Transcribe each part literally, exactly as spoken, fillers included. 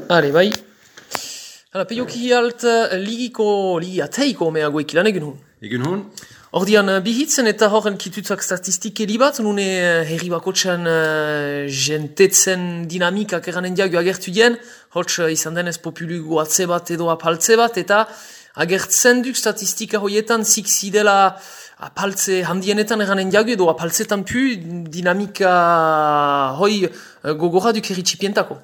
Are, bai. Hala, peioki alt ligiko, ligi ateiko meago ekilan egun hun. Egun hon? Ordian bihitzen eta horren kitutzak statistike libat, nune herri bakotxan uh, jentetzen dinamikak eranen diago agertu dien, hotx uh, izan denez populugu atze bat edo apaltze bat, eta agertzen duk statistika hoietan zik zidela apaltze handienetan eranen diago edo apaltzetan pu dinamika hoi uh, gogorra duk herritxipientako.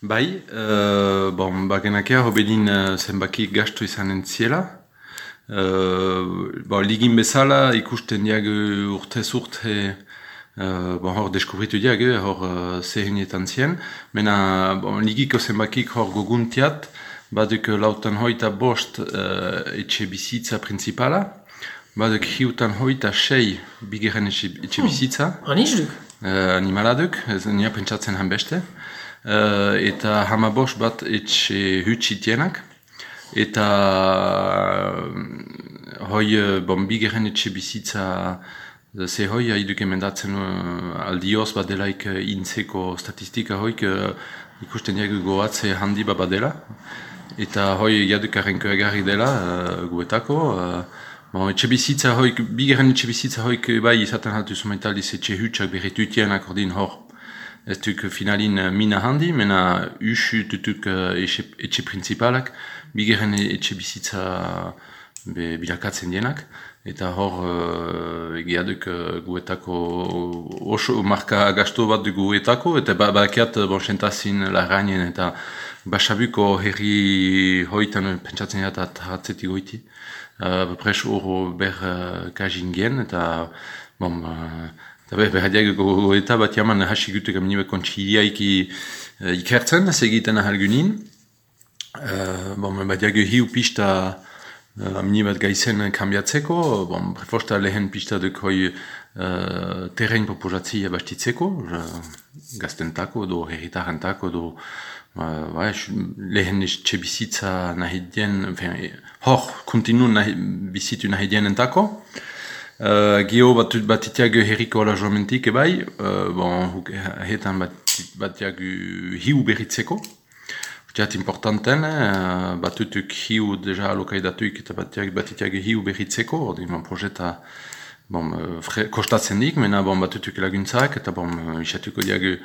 Bai, uh, bon, bagenakea hobedin uh, zenbaki gastu izanen ziela. Uh, bon, ligin bezala ikusten diago urtez urte uh, bon, hor deskubritu diago, hor uh, zehenietan zien. Mena bon, ligiko zenbakik hor goguntiat, baduk lautan hoita bost uh, etxe bizitza principala, baduk hiutan hoita sei bigeren etxe, etxe bizitza. Hmm. Anizduk? Uh, animaladuk, ez nia pentsatzen han beste. Uh, eta hamabos bat etxe hutsitienak. Eta uh, hoi bon, bigeren etxe bizitza ze hoi haiduk emendatzen uh, aldioz bat delaik uh, intzeko statistika hoik uh, ikusten diago goatze handi bat dela. Eta hoi jaduk arrenko egarri dela uh, guetako. Uh, bon, etxe bizitza hoik, bigeren etxe bizitza hoik bai izaten haltu zumaitaliz etxe hutsak berretutienak ordin hor. Ez duk finalin mina handi, mena usu tutuk uh, etxe, etxe principalak, bigeren etxe bizitza be, bilakatzen dienak, eta hor uh, egiaduk uh, guetako oso marka gasto bat du guetako, eta ba, bakiat bon, sentazin larrainen eta basabuko herri hoitan pentsatzen dira eta hatzetik goiti. Uh, Pres oro ber uh, kajingen, eta bon, uh, eta behar diago goeta bat jaman hasi gutek aminibe kontxiliaiki uh, ikertzen, segiten ahalgunin. Uh, bon, bat diago hiu pista uh, aminibat gaizen kambiatzeko, bon, prefosta lehen pista duk hoi uh, terren proposatzia bastitzeko, uh, gaztentako, do herritarentako, do uh, bai, lehen etxe bizitza nahi dien, hor, kontinu nahi, bizitu nahi dienentako. Uh, Gio bat batitiago herriko alajoamentik ebai, uh, bon, hetan batiago hiu berritzeko. Utiat importanten, uh, batutuk hiu deja alokaidatuik eta batitiago hiu berritzeko, ordin bon, projeta bon, uh, kostatzen dik, mena bon, batutuk laguntzak, eta bon, isatuko diago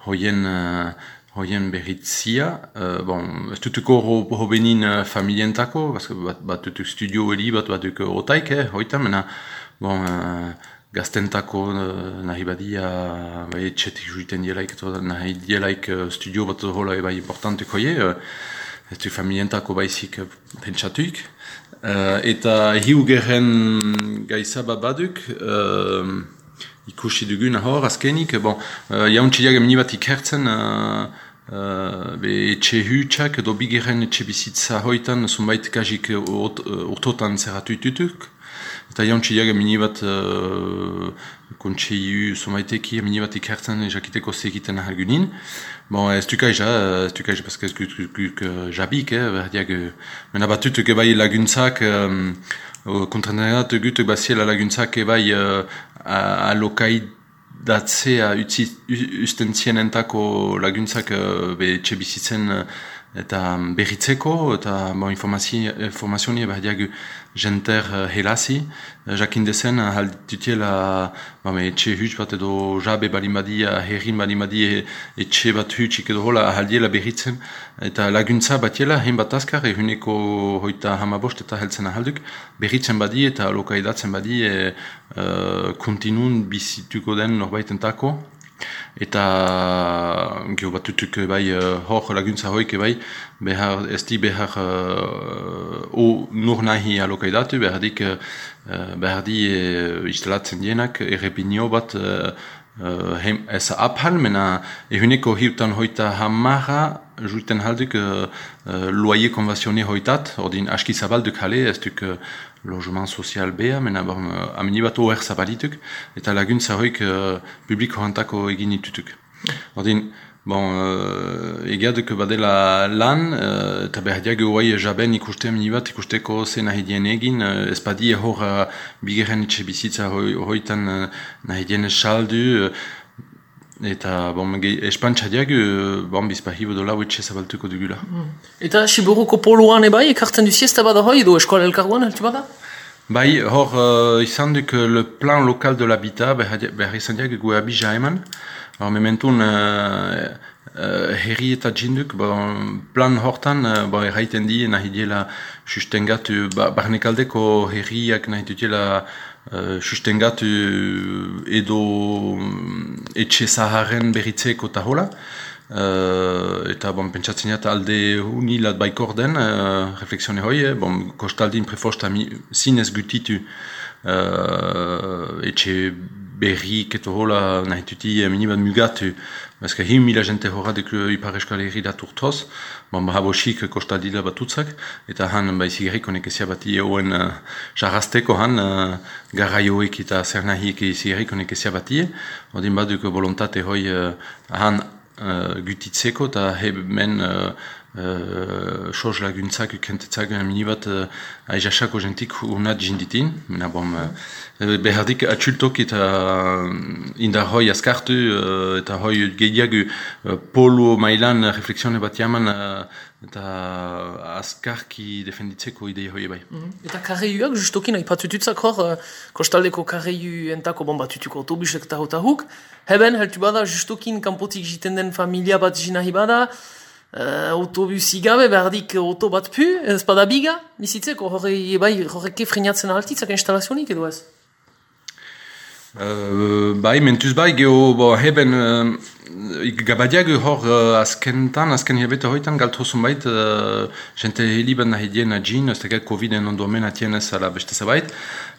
hoien, uh, hoien berritzia. Uh, bon, ez dutuko ho, ho benin uh, familientako, bat, batutuk studio heli, bat batutuk otaik, eh, hoitan, mena bon, uh, gaztentako uh, nahi badia bai, etxetik juiten dielaik, nahi dielaik uh, studio bat hola bai importantek hoie, uh, ez du familientako baizik uh, pentsatuik. Uh, eta hiu geren gaizaba baduk, uh, ikusi dugun hor, azkenik, bon, uh, jauntxileak emini bat ikertzen, uh, uh, be etxe hutsak edo bigeren etxe bizitza hoitan, zunbait kajik urtotan zerratu itutuk. Eta jauntxileak emini bat uh, kontseiu sumaiteki emini bat ikertzen jakiteko segiten ahalgunin. Bon, ez dukai ja, ez dukai ja, paske ez guk jabik, eh, berdiak, mena batutuk ebai laguntzak, um, kontrenerat gutuk baziela laguntzak ebai uh, alokaidatzea usten zienentako laguntzak uh, be etxe bizitzen uh, eta berritzeko, eta bon, informazioni berdiak jenter uh, helasi, uh, jakindezen uh, haldutiela bon, etxe huts bat edo jabe balimadia, herrin balimadia etxe bat hutsik edo hola haldiela berritzen, eta laguntza batiela hein bat azkar, ehuneko hoita hamabost eta heltzen ahalduk, berritzen badi eta lokaidatzen badi e, uh, kontinun bizituko den norbaitentako. Eta gio batutuk bai hor laguntza hoik bai behar ez di behar uh, o nur nahi alokaidatu behar dik uh, behar di uh, instalatzen dienak errepinio bat uh, uh, hem, ez aphal mena ehuneko hiutan hoita hamara juiten halduk uh, uh, loyer konvasione hoitat ordin aski zabalduk hale ez duk uh, logement sozial bea, mena bon, uh, amini bat oher zabalituk, eta laguntza hoik uh, publiko hantako egin ditutuk. Ordin, bon, uh, egiaduk badela lan, uh, eta behar diago guai jaben ikuste amini bat, ikusteko zen nahi dien egin, uh, ez badi hor uh, bigeren etxe bizitza hoi, hoitan uh, nahi dien saldu, uh, eta bon, espantxadiak, bon, bizpahibo dola huetxe zabaltuko dugula. Mm. Eta Siburuko poloan ebai, ekartzen du siesta bada hoi, edo eskola elkargoan, heltu bada? Bai, hor, uh, izan duk le plan local de l'habitat, behar izan diak gu abija eman. Hor, mementun, uh, uh, herri eta jinduk, bon, plan hortan, uh, bon, erraiten di, nahi diela sustengatu, ba, barnekaldeko herriak nahi dutela Uh, sustengatu edo etxe zaharren berritzeko eta hola. Uh, eta bon, pentsatzen jat alde unilat baikor den, uh, reflexione hoi, eh? Bon, kostaldin prefosta zinez gutitu uh, etxe berrik eta hola nahi tuti minibat mugatu. Bazka hin mila jente horra dek Ipar Euskal Herri dat urtoz, bon, bahabosik kostaldila batutzak, eta han baizigerik honek ezia bati eoen uh, jarrazteko han, uh, garraioek eta zer nahiek ezigerik honek ezia bati, odin baduk volontate hoi uh, han uh, gutitzeko, eta hemen uh, uh, soz laguntzak ukentetzak minibat uh, aizasako jentik unat jinditin, mena bom, uh, behardik atxultok eta indar hoi askartu uh, eta hoi gehiago uh, polo mailan reflexione bat jaman uh, eta askarki defenditzeko idei hoi bai. Mm -hmm. Eta karreiuak justokin aipatututzak hor, uh, kostaldeko karreiu entako bon batutuko autobusek eta hota huk, heben heltu bada justokin kanpotik jiten den familia bat jinahi bada, Uh, autobusi gabe berdik auto bat pu, ez bada biga, bizitzeko horre bai horreke freinatzen altitzak instalazionik edo ez? Uh, bai, mentuz bai, geho, bo, heben, uh, gabadiak hor uh, azkentan, azken hilabete hoitan, galtozun bait, uh, jente heliban nahi dien adjin, ez tegat Covid-en ondomen atien ez ala beste zabait.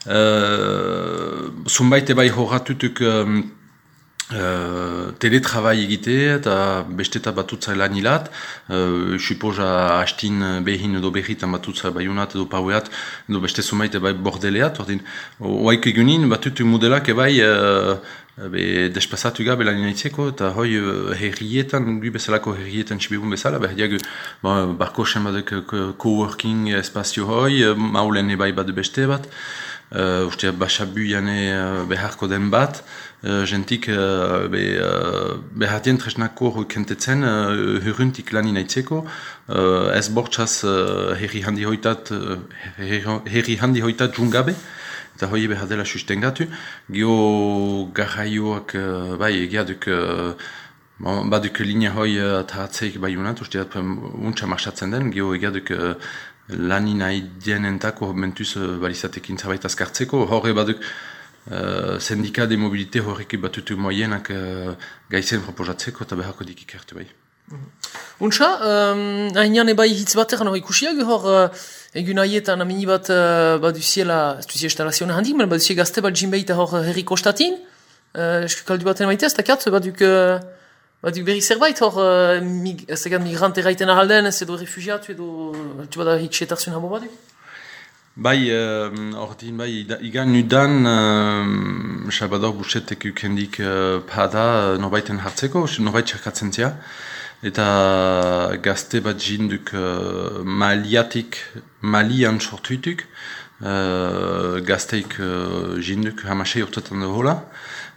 Uh, Zunbait ebai horratutuk um, Uh, teletrabai egite eta besteta batutza lan hilat, uh, supoza hastin behin edo berritan batutza baiunat edo paueat edo beste zumait ebai bordeleat, ordin oaik egunin batutu modelak ebai uh, be despasatu gabe lan inaitzeko eta hoi uh, herrietan, gu bezalako herrietan txibibun bezala, behar diagu bon, barko sen badek coworking espazio hoi, uh, maulen ebai badu beste bat, uh, uste basabu jane uh, beharko den bat, Uh, jentik uh, be, uh, behatien tresnako kentetzen uh, huruntik lan inaitzeko, uh, ez bortxaz uh, herri handi hoitat uh, herri handi hoitat jungabe, eta hoi behadela sustengatu. Gio garraioak uh, bai egiaduk uh, baduk linea hoi uh, taratzeik bai unat, usteat untsa marxatzen den, gio egiaduk uh, lani nahi dienentako mentuz uh, balizatekin zabait azkartzeko, horre baduk Uh, sendika de mobilite horreki batutu moienak uh, gaizen proposatzeko eta beharko dik ikertu bai. Untsa, um, hainian ebai hitz batean hori ikusiak hor uh, egun haietan amini bat uh, baduziela, ez duzie instalazioa handik, men baduzie gazte bat jinbeita hor herri kostatin, uh, eskaldu baten maite, ez dakiat, baduk, uh, baduk berri zerbait hor uh, mig, ez dakiat migrante raiten ahalden, ez edo refugiatu edo altu bada hitxetarzun habo baduk? Bai, ordin, uh, bai, igan nudan, uh, Salvador Busetek ukendik uh, pada norbaiten hartzeko, norbait txerkatzen zia, eta gazte bat jinduk uh, maliatik, malian sortuituk, uh, gazteik uh, jinduk hamasei urtetan hola,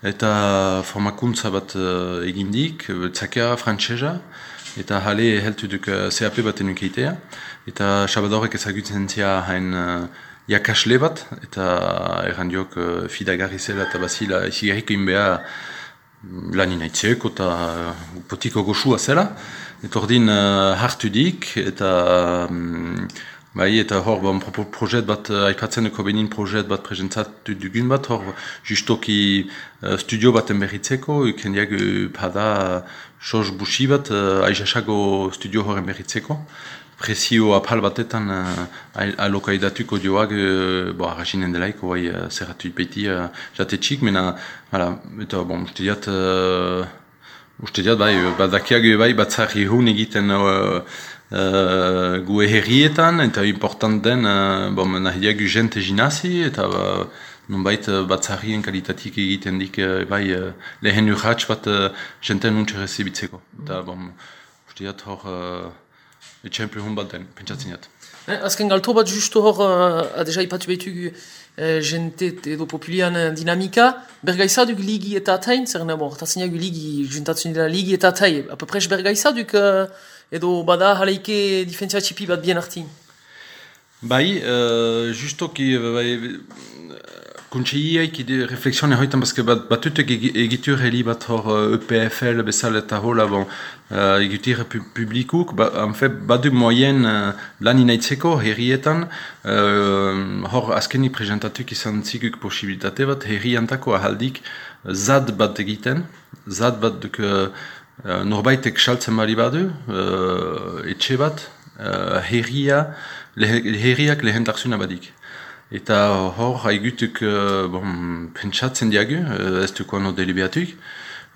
eta formakuntza bat uh, egindik, tzakea frantsesa, eta jale heltu duk uh, C A P baten ukeitea, eta Salvadorek ezagutzen zia hain uh, jakasle bat, eta erran diok uh, fidagarri zela eta bazila izigarriko inbea lan inaitzeko eta uh, potiko goxua zela, eta ordin uh, hartu dik, eta um, bai, eta hor bon, pro projet bat, uh, aipatzen duko benin projet bat presentzatu dugun bat, hor justoki uh, studio baten berritzeko, ukendiak uh, pada soz busi bat, uh, aizasago studio horren berritzeko. Prezio apal batetan uh, alokaidatuko dioak, uh, bo, arrasinen delaiko, bai, uh, zerratu ipeti uh, jate txik, mena, hala, eta, bon, uste diat, uh, uste diat, bai, badakiak bai, batzari hun egiten uh, uh, gue herrietan, eta important den, uh, bon, nahiak jente jinazi, eta, uh, nonbait, uh, batzarien kalitatik egiten dik, uh, bai, uh, lehen urratx bat uh, jenten untxe rezibitzeko. Eta, bon, uste diat, hor, uh, etxempe hon bat den, pentsatzen jat. Eh, azken galto bat justo hor, uh, adeja ipatu behitu uh, jente edo populian uh, dinamika, bergaizaduk ligi eta atain, zer nebo, hortatzen jagu ligi, juntatzen dira ligi eta atai, apopres bergaizaduk uh, edo bada haleike difentzia txipi bat bien artin. Bai, uh, justoki, bai, kontseiaik ide reflexione hoitan, baske bat, batutek egitur heli bat hor E P F L bezala eta hola, bon, uh, egitur pu publikuk, ba, en fait, badu moyen uh, lan inaitzeko herrietan, uh, hor azkeni presentatuk izan ziguk posibilitate bat, herriantako ahaldik zad bat egiten, zad bat duk uh, norbaitek saltzen bali badu, uh, etxe bat, uh, herria, herriak lehentarsuna badik. Eta hor haigutuk uh, bon, pentsatzen diagu, uh, ez duko ano delibeatuk,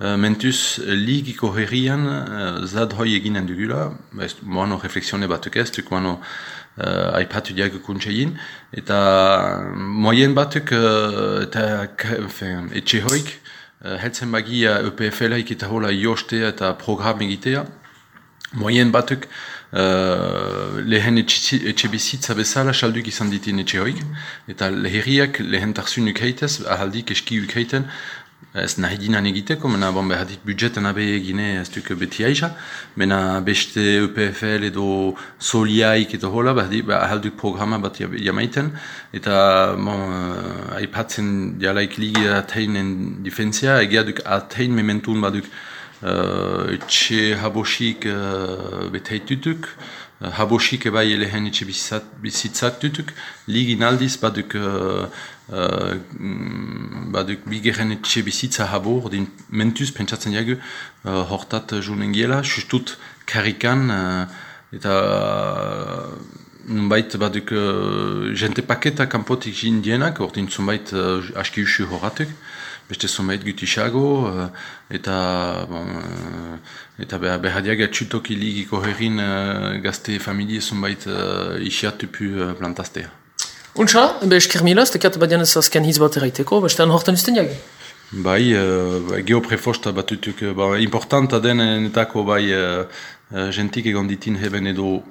uh, mentuz ligiko herrian uh, zad hoi eginen dugula, ez moano reflexione batuk ez, duko ano uh, aipatu diagu kuntsein, eta moyen batuk uh, eta enfin, etxe hoik, uh, heltzen bagia E P F L-aik eta hola jostea eta program egitea, moyen batuk Uh, lehen etxe bizitza bezala salduk izan ditin etxe hoik, eta herriak lehen tarsunuk heitez, ahaldik eskiuk heiten, ez nahi dinan egiteko, mena bon, behadit budjetan abe egine ez duk beti aiza, mena beste E P F L edo soliaik edo hola, behadit ahalduk programa bat jamaiten, eta bon, uh, aipatzen dialaik ligi ateinen difentzia, egiaduk atein mementun baduk Uh, etxe habosik uh, beteitutuk, uh, habosik ebai elehen etxe bizitzak dutuk, ligin aldiz baduk, uh, uh, baduk bigeren etxe bizitza habo, ordin mentuz pentsatzen jagu, uh, hortat junen giela, justut karikan, uh, eta uh, nunbait baduk uh, jente paketa kanpotik jindienak, ordin zunbait uh, aski usu horatuk, beste zunbait gutisago, uh, eta bon, uh, eta behadiak atxutoki ligiko herrin uh, gazte familie zunbait uh, isiatupu uh, plantaztea. Untsa, ebe esker mila, ez tekat badian ez azken hitz bat eraiteko, bestean hortan usten jag? Bai, uh, geoprefosta batutuk, uh, ba, importanta den netako bai uh, uh, gentik egon ditin heben edo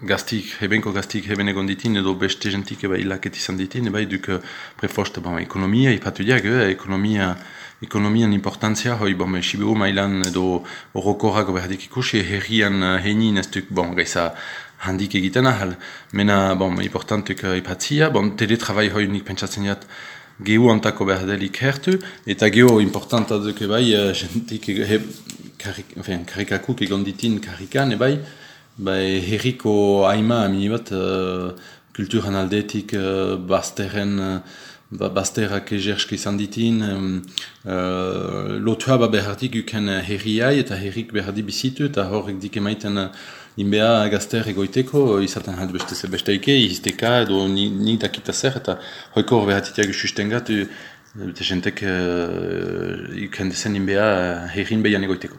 gaztik, hebenko gaztik heben egon ditin edo beste gentik eba ilaket izan ditin, bai duk prefosta bon, ekonomia ipatu diag, eh, ekonomia ekonomian importantzia, hoi bon, Sibiru mailan edo orokorrak berdik ikusi, herrian heinin ez duk, bon, gaiza handik egiten ahal, mena, bon, importantuk ipatzia, bon, teletrabai hoi nik pentsatzen jat, gehu antako berdelik hertu, eta gehu importanta duk ebai, gentik karik, enfin, karikakuk egon ditin karikan, ebai, bai, herriko haima amini bat uh, kulturan aldetik uh, bazterren uh, bazterrak egerski izan ditin um, uh, lotua ba behartik uken herriai eta herrik behardi bizitu eta horrek dik emaiten uh, inbea gazter egoiteko izaten hald beste besteike izteka edo nik dakita zer eta hoiko hor behatitiak sustengatu eta jentek uh, uken dezen inbea herrin behan egoiteko.